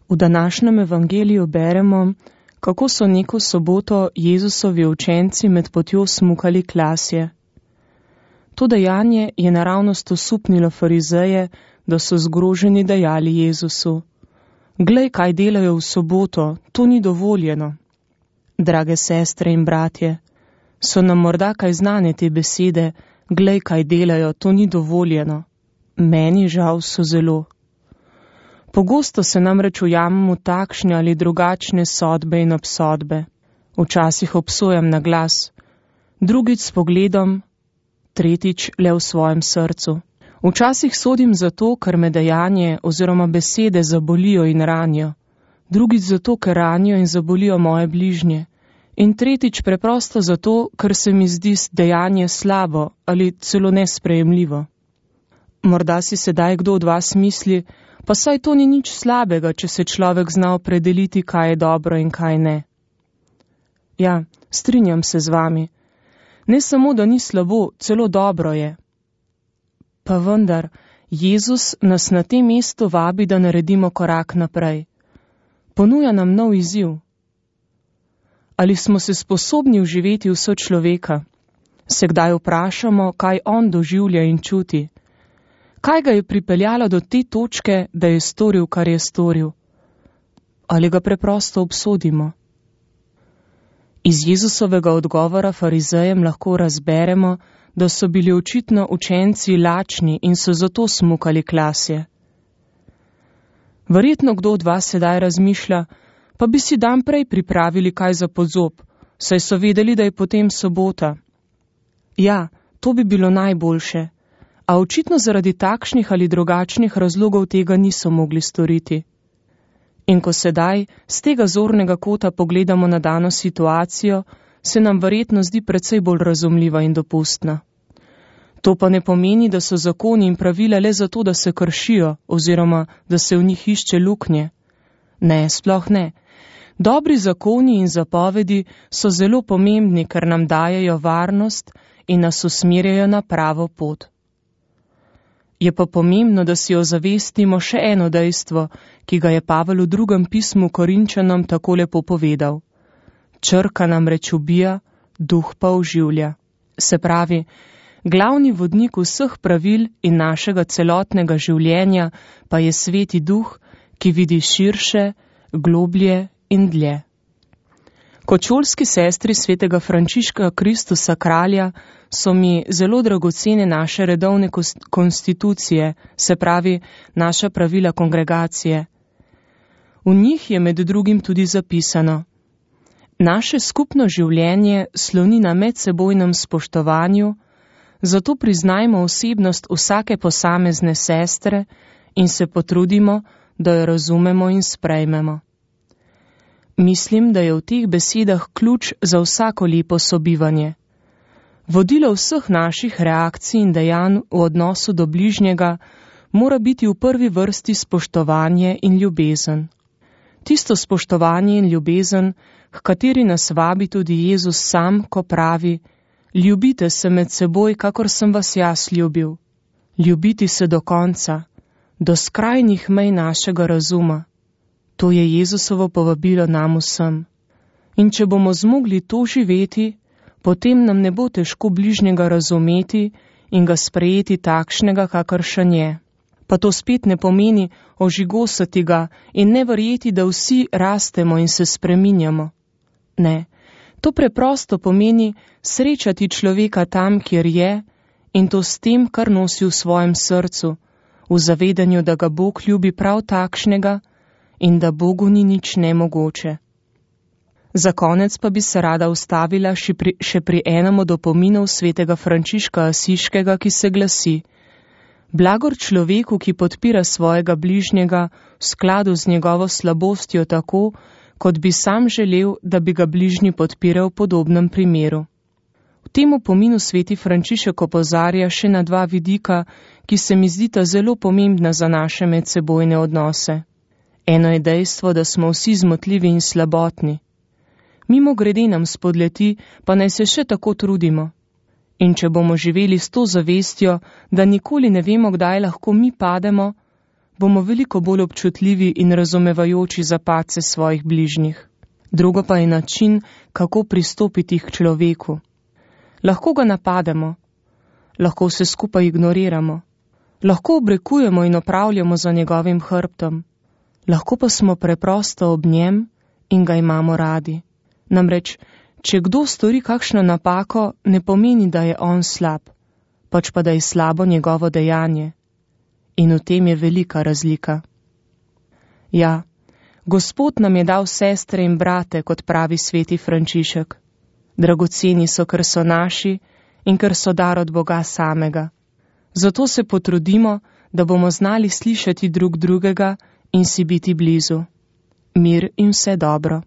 V današnjem evangeliju beremo, kako so neko soboto Jezusovi učenci med potjo smukali klasje. To dejanje je naravnost osupnilo farizeje, da so zgroženi dejali Jezusu: Glej, kaj delajo v soboto, to ni dovoljeno. Drage sestre in bratje, so nam morda kaj znane te besede: Glej, kaj delajo, to ni dovoljeno? Meni žal so zelo. Pogosto se namreč ujamemo v takšne ali drugačne sodbe in obsodbe. Včasih obsojam na glas, drugič s pogledom, tretjič le v svojem srcu. Včasih sodim zato, ker me dejanje oziroma besede zabolijo in ranijo, drugič zato, ker ranijo in zabolijo moje bližnje, in tretjič preprosto zato, ker se mi zdi dejanje slabo ali celo nesprejemljivo. Morda si sedaj kdo od vas misli, pa saj to ni nič slabega, če se človek zna opredeliti, kaj je dobro in kaj ne. Ja, strinjam se z vami. Ne samo, da ni slabo, celo dobro je. Pa vendar, Jezus nas na tem mestu vabi, da naredimo korak naprej. Ponuja nam nov izziv. Ali smo se sposobni vživeti v sočloveka? Se kdaj vprašamo, kaj on doživlja in čuti? Kaj ga je pripeljalo do te točke, da je storil, kar je storil? Ali ga preprosto obsodimo? Iz Jezusovega odgovora farizejem lahko razberemo, da so bili očitno učenci lačni in so zato smukali klasje. Verjetno kdo od vas sedaj razmišlja, pa bi si dan prej pripravili kaj za podzob, saj so vedeli, da je potem sobota. Ja, to bi bilo najboljše, a očitno zaradi takšnih ali drugačnih razlogov tega niso mogli storiti. In ko sedaj z tega zornega kota pogledamo na dano situacijo, se nam verjetno zdi precej bolj razumljiva in dopustna. To pa ne pomeni, da so zakoni in pravila le zato, da se kršijo oziroma da se v njih išče luknje. Ne, sploh ne. Dobri zakoni in zapovedi so zelo pomembni, ker nam dajejo varnost in nas usmerjajo na pravo pot. Je pa pomembno, da si ozavestimo še eno dejstvo, ki ga je Pavel v drugem pismu Korinčanom tako lepo povedal. Črka namreč ubija, duh pa oživlja. Se pravi, glavni vodnik vseh pravil in našega celotnega življenja pa je Sveti Duh, ki vidi širše, globlje in dlje. Kot šolski sestri svetega Frančiška Kristusa Kralja so mi zelo dragocene naše redovne konstitucije, se pravi naša pravila kongregacije. V njih je med drugim tudi zapisano: Naše skupno življenje sloni na medsebojnem spoštovanju, zato priznajmo osebnost vsake posamezne sestre in se potrudimo, da jo razumemo in sprejmemo. Mislim, da je v teh besedah ključ za vsako lepo sobivanje. Vodilo vseh naših reakcij in dejanj v odnosu do bližnjega mora biti v prvi vrsti spoštovanje in ljubezen. Tisto spoštovanje in ljubezen, h kateri nas vabi tudi Jezus sam, ko pravi: Ljubite se med seboj, kakor sem vas jaz ljubil. Ljubiti se do konca, do skrajnih mej našega razuma. To je Jezusovo povabilo nam vsem. In če bomo zmogli to živeti, potem nam ne bo težko bližnjega razumeti in ga sprejeti takšnega, kakršen je. Pa to spet ne pomeni ožigosati ga in ne verjeti, da vsi rastemo in se spreminjamo. Ne, to preprosto pomeni srečati človeka tam, kjer je, in to s tem, kar nosi v svojem srcu, v zavedanju, da ga Bog ljubi prav takšnega in da Bogu ni nič nemogoče. Za konec pa bi se rada ustavila še pri enem od opominov svetega Frančiška Asiškega, ki se glasi: Blagor človeku, ki podpira svojega bližnjega v skladu z njegovo slabostjo tako, kot bi sam želel, da bi ga bližnji podpiral v podobnem primeru. V tem opominu sveti Frančišek opozarja še na dva vidika, ki se mi zdita zelo pomembna za naše medsebojne odnose. Eno je dejstvo, da smo vsi zmotljivi in slabotni. Mimogrede nam spodleti, pa naj se še tako trudimo. In če bomo živeli s to zavestjo, da nikoli ne vemo, kdaj lahko mi pademo, bomo veliko bolj občutljivi in razumevajoči za padce svojih bližnjih. Drugo pa je način, kako pristopiti k človeku. Lahko ga napademo, lahko vse skupaj ignoriramo, lahko obrekujemo in opravljamo za njegovim hrbtom, lahko pa smo preprosto ob njem in ga imamo radi. Namreč, če kdo stori kakšno napako, ne pomeni, da je on slab, pač pa da je slabo njegovo dejanje. In v tem je velika razlika. Ja, Gospod nam je dal sestre in brate, kot pravi sveti Frančišek. Dragoceni so, ker so naši in ker so dar od Boga samega. Zato se potrudimo, da bomo znali slišati drug drugega in si biti blizu. Mir in vse dobro.